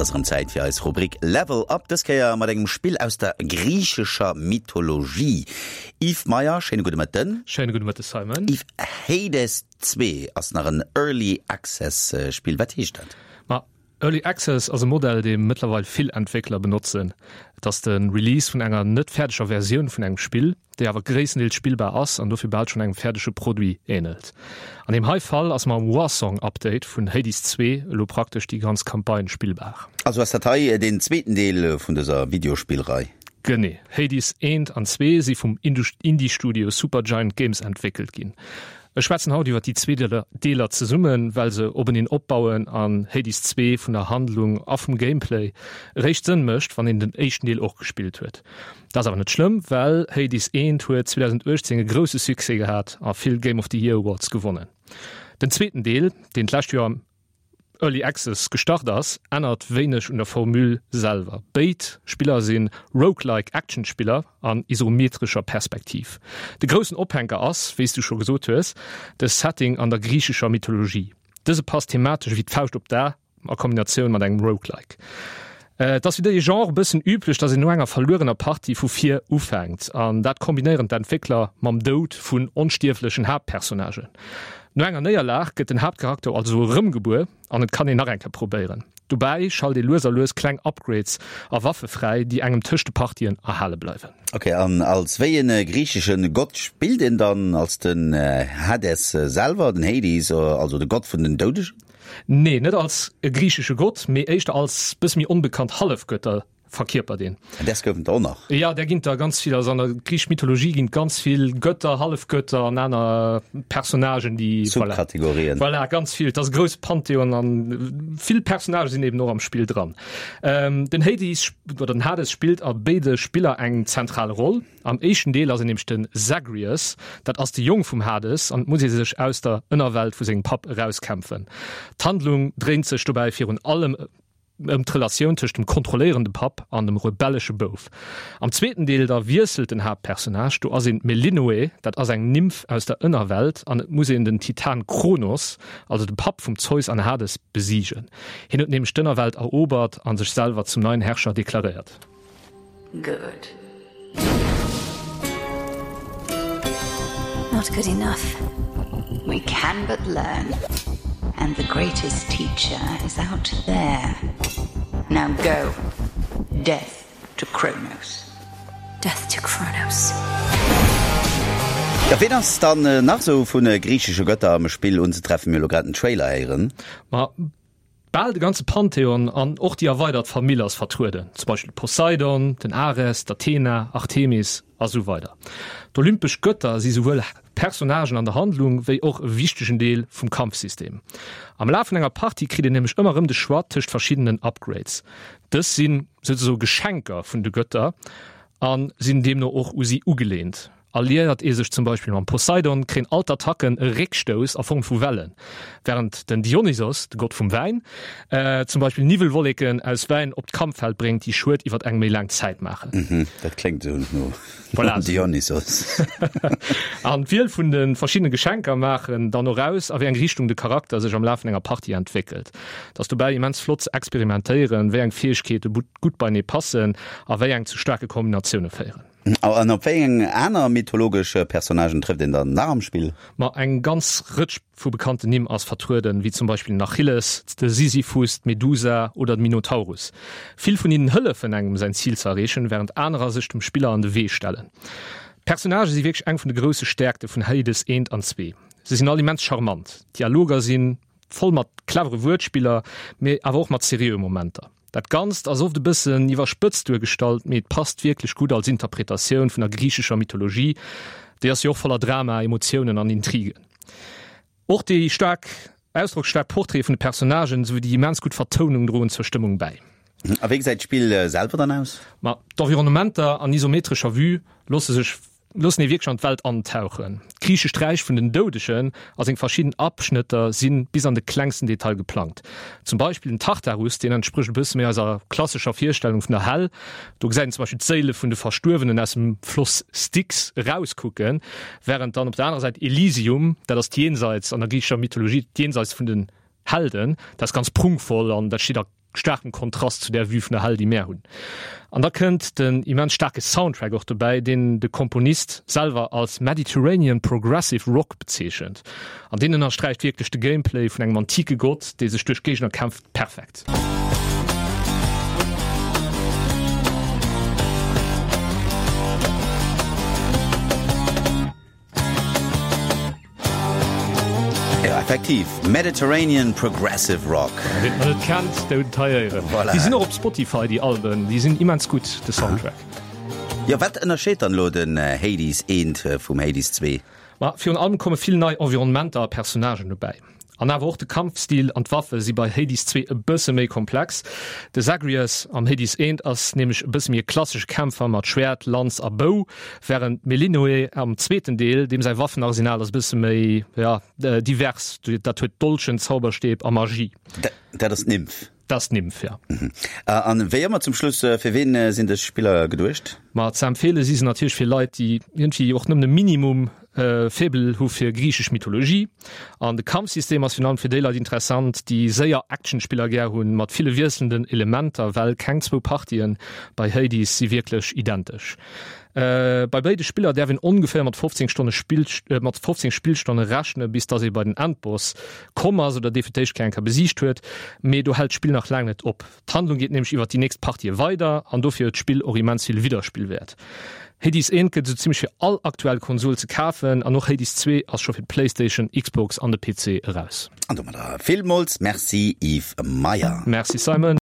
Et ass erëm Zäit fir eis Rubrik Level Up, dës Kéier mat engem Spill aus der griichescher Mythologie. Yves Meyer, schéine gudde Mëtten. Schéine gudde Mëtte Simon. Yves, Hades 2 ass nach en Early Access Spill, wat heescht dat? Ma Early Access ass e Modell, dee mëttlerweil vill Entwéckler benotzen. Et ass de Release vun enger net fäerdeger Versioun vun engem Spill, déi awer gréisstendeels spillbar ass an dofir bal schonn engem fäerdege Produit änelt. An deem hei Fall ass mam Warsong-Update vun Hades 2 elo praktesch déi ganz Campagne spillbar. Also ass dat hei deen zweeten Deel vun dëser Videospillrei? Genee. Hades 1 an 2 si vum Indie-Studio Supergiant Games entwéckelt ginn. Ech schwätzen haut iwwer déi zwee Deeler zesummen, well se openeen opbauen an Hades 2 vun der Handlung a vum Gameplay eréischt Sënn mécht, wann een den éischten Deel och gespillt huet. Dat ass awer net schlëmm, well Hades 1 huet 2018 e grousse Succès gehat a vill Game of the Year Awards gewonnen. Den zweeten Deel, deen d'lescht Joer am. Early Access gestart ass, ännert wéineg un der Formule selwer. Béid Spiller si Roguelike Actionspiller an isometrescher Perspektiv. De groussen Ophänker ass, wéi s du scho gesot hues, de Setting an der griichescher Mythologie. Dëse passt thematesch ewéi d'Fauscht op d'A a Kombinatioun mat engem Roguelike. Et ass fir dee Genre e bëssen üblech, datt een no enger verluerener Partie vu vir ufänkt, an dat kombinéieren d'Entwéckler mam Doud vun onstierflechen Haaptpersonnagen. No enger Néierlag gëtt den Haaptcharakter also erëmgebuer an et kann een nach eng Kéier probéieren. Dobäi schalt ee lues a lues kleng Upgrades a Waffe fräi, déi engem tëscht de Partien erhale bleiwen. Ok, an als wéi e griichesche Gott spillt een dann? Als den Hades selwer, den Hades, also de Gott vun den Doudegen? Nee, net als e griichesche Gott, mee éischter als bësse méi onbekannt Hallefgötter verkierpert een. An däers goufen der och nach? Jo, där ginn der ganz vill. Also an der griichescher Mythologie ginn et ganz vill Götter, Hallefgötter an aner Personnagen, déi. Subkategorien. Voilà, ganz vill. Et ass e grousse Pantheon an vill Personnagë sinn eben och am Spill dran. Den Hades oder den Hades spillt a béide Spiller eng zentral Roll. Am éischten Deel ass en nämlech de Zagreus, dat ass de Jong vum Hades an et muss ee sech aus der Ënnerwelt vu sengem Papp erauskämpfen. D'Handlung dréint sech dobäi virun allem ëm d'Relatioun tëscht dem kontrolléierende Papp an dem rebellesche Bouf. Am zweeten Deel da wiesselt den Haaptpersonnage, do ass een d'Melinoë, dat ass eng Nymph aus der Ënnerwelt an et muss een den Titan Kronos, also de Papp vum Zeus an Hades, besiegen. Hien huet nämlech d'Ënnerwelt erobert a sech selwer zum neien Herrscher deklaréiert. Good. Not good enough. We can but learn. And the greatest teacher is out there. Now go. Death to Kronos. Death to Kronos. Ja, ween ass dann nach sou vu griichesche Götter am Spill unzetreffen? Mir hu lo grad den Trailer héieren. Ma Bal de ganze Pantheon an och déi erweidert Famill ass vertrueden, zum Beispill de Poseidon, den Ares, d'Athena, Artemis a sou weider. D'olympesch Gëtter si souwuel Personnagen an der Handlung wéi och e wichtegen Deel vum Kampfsystem. Am Laf vun enger Partie kritt een nämlech ëmmer erëm de Choix tëscht verschiddenen Upgrades. Dës si souzesoe Geschenker vun de Gëtter a sinn deemno och u si ugeleent. Alliéiert ee sech zum Beispill mam Poseidon, kréien all d'Attacken e Réckstouss a Form vu Wellen, wärend den Dionysos, de Gott vum Wäin, zum Beispill Niwwelwolleken aus Wäin op d'Kampffeld bréngt, déi Schued iwwer eng méi laang Zäit maachen. Mhm, dat kléngt esou no Voilà. Dionysos. An d'Wiel vun de verschiddene Geschenker maachen dann och aus, a wéi eng Richtung de Charakter sech am Laf vun enger Partie entwéckelt. Et ass dobäi immens flott ze experimentéieren, wéi eng Fäegkeete gutt beienee passen a wéi eng zu staarke Kombinatioune féieren. An op wéi eng aner mythologesch Personnagen trëfft een dann nach am Spill? Ma eng ganz Rëtsch vu bekannten Nimm ass vertrueden, wéi zum Beispill den Achilles, de Sisyphus, d'Medusa oder de Minotaurus. Vill vun hinnen hëllefen engem säin Zil ze erreechen, wärend anerer sech dem Spiller an de Wee stellen. D'Personnagë si wierklech eng vun de grousse Stäerkte vun Hades 1 an 2. Se sinn all immens charmant, d'Dialoger si voll mat clevere Wuertspiller, mee awer och mat seriöe Momenter. Dat Ganzt ass oft e bëssen iwwerspëtzt duergestallt, mee et passt wierklech gutt als Interpretatioun vun der griichescher Mythologie. Déi ass jo och voller Drama, Emotiounen an Intrigen. Och déi staark ausdrocksstaark Portraite vun de Personnagen, esou wéi déi immens gutt Vertounung droen zur Stëmmung bäi. A wéi gesäit d'Spill selwer dann aus? Ma d'Environnementer an isometrescher Vue loosse sech loossen ee wierklech an d'Welt antauchen. D'griichescht Räich vun den Doudegen a seng verschidden Abschnëtter si bis an de klengsten Detail geplangt. Zum Beispill den Tartarus, deen entsprécht e bësse méi eiser klassescher Virstellung vun der Hell. Do gesäit een zum Beispill d'Séile vun de Verstuerwenen aus dem Floss Styx erauskucken, wärend dann op der anerer Säit Elysium, dat ass d'Jenseits an der griichescher Mythologie, d'Jenseits vun den Helden, dat ass ganz prunkvoll an dat steet a. staarkem Kontrast zu där Vue vun der Hell, déi mär hunn. An da kënnt den immens staarke Soundtrack och dobäi, deen de Komponist selwer als Mediterranean Progressive Rock bezeechent. An deen ënnersträicht wierklech de Gameplay vun engem antike Gott, dee sech duerch Géigner kämpft, perfekt. Jo, effektiv, Mediterranean Progressive Rock. Ween et nach net kennt, dee huet et hei héieren. Voilà. Déi sinn och op Spotify, déi Alben, déi sinn immens gutt, de Soundtrack. Jo, wat ënnerscheet dann elo den Hades I vum Hades II? Ma virun allem komme vill nei Environnementer a Personnagen dobäi. An awer och de Kampfstil an d'Waffe si bei Hades 2 e bësse méi komplex. De Zagreus am Hades 1 ass nämlech e bësse méi e klassesche Kämpfer mat Schwäert, Lanz a Bou, wärend d'Melinoë am zweeten Deel, deem säi Waffenarsenal ass e bësse méi, ja, divers, dat huet Dolchen, Zauberstäb a Magie. Dat ass d'Nymph. Dat ass d'Nymph, jo. An wéi ëmmer zum Schluss, fir ween sinn dës Spiller geduecht? Ma ze empfeele si se natierlech fir Leit, déi iergendwéi och nëmmen e Minimum Faible hu fir griichesch Mythologie. An de Kampfsystem ass virun allem fir déi Leit interessant, déi séier Actionspiller gär hunn, mat ville wiesselnden Elementer, well keng zwou Partien bei Hades si wierklech identesch. Bei béide Spiller däerf een ongeféier mat 15 Stonne Spill mat 15 Spillstonne rechne bis dass ee bei den Endboss komm ass oder dee fir d'éischt Kéier eng Kéier besiegt huet. Mee do hält d'Spill nach laang net op. D'Handlung geet nämlech iwwert déi nächst Partië weider an dofir huet d'Spill och immens vill Widderspillwäert. Hades 1 gëtt esou zimmlech fir all aktuell Konsol ze kafen an och Hades 2 ass scho fir d'Playstation, Xbox an de PC eraus. An domadder villmools Merci Yves Meyer. Merci Simon.